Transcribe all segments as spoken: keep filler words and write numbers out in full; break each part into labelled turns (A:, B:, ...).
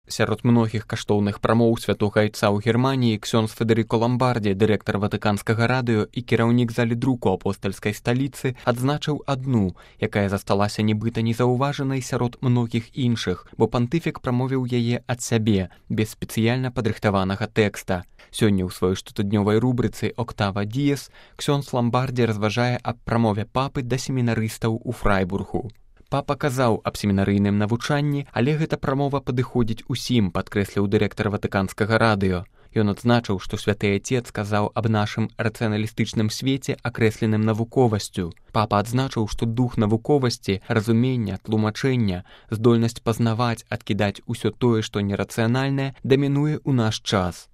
A: Сярод многіх каштоўных прамоў святога айца ў Германіі ксёндз Федэрыко Ламбардзі, дырэктар Ватыканскага радыё і кіраўнік залі друку апостальскай сталіцы, адзначыў адну, якая засталася нібыта незаўважанай сярод многіх іншых, бо пантыфік прамовіў яе ад сябе, без спецыяльна падрыхтаванага тэкста. Сёння ў сваёй штотыднёвай рубрыцы «Октава Діес» ксёндз Ламбардзі разважае аб прамове папы да семінарыстаў у Фрайбургу. Папа казаў аб семінарыйным навучанні, але гэта прамова падыходзіць усім, падкрэсліў дырэктар Ватыканскага радыё. Ён адзначыў, што святы айцец казаў аб нашым рацыяналістычным свеце, акрэсленым навуковасцю. Папа адзначыў, што дух навуковасці, разумення, тлумачэння, здольнасць пазнаваць, адкідаць усё тое, што нерацыянальнае, дамінуе ў наш час.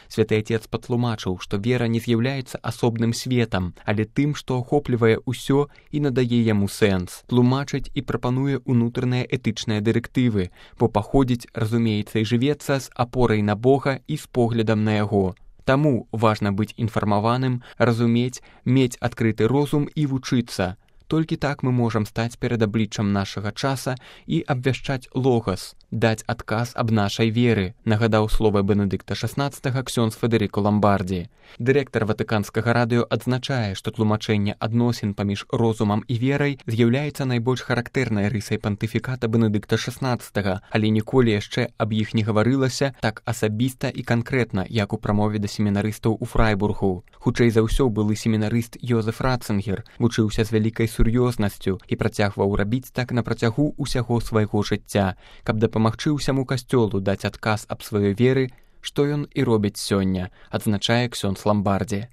A: Святы айцец патлумачыў, што вера не з'яўляецца асобным светам, але тым, што ахоплівае ўсё і надае яму сэнс, тлумачыць і прапануе ўнутраныя этычныя дырэктывы, бо паходзіць, разумеецца і жывецца з апорай на Бога і з поглядам на яго. Таму важна быць інфармаваным, разумець, мець адкрыты розум і вучыцца. Толькі так мы можам стаць перад абліччам нашага часа і абвяшчаць логас, даць адказ аб нашай веры, нагадаў словы Бенедыкта шаснаццатага ксёндз Федэрыко Ламбардзі. Дырэктар Ватыканскага радыё адзначае, што тлумачэнне адносін паміж розумам і верай з'яўляецца найбольш характэрнай рысай пантыфіката Бенедыкта шаснаццатага, але ніколі яшчэ аб іх не гаварылася так асабіста і канкрэтна, як у прамове да семінарыстаў у Фрайбургу. Хутчэй за ўсё былы семінарыст Йозеф Ратцынгер вучыўся з вялікай сур'ёзнасцю і працягваў рабіць так на працягу ўсяго свайго жыцця, каб дапамагчы ўсяму касцёлу даць адказ аб сваёй веры, што ён і робіць сёння, адзначае ксёндз Ламбардзі.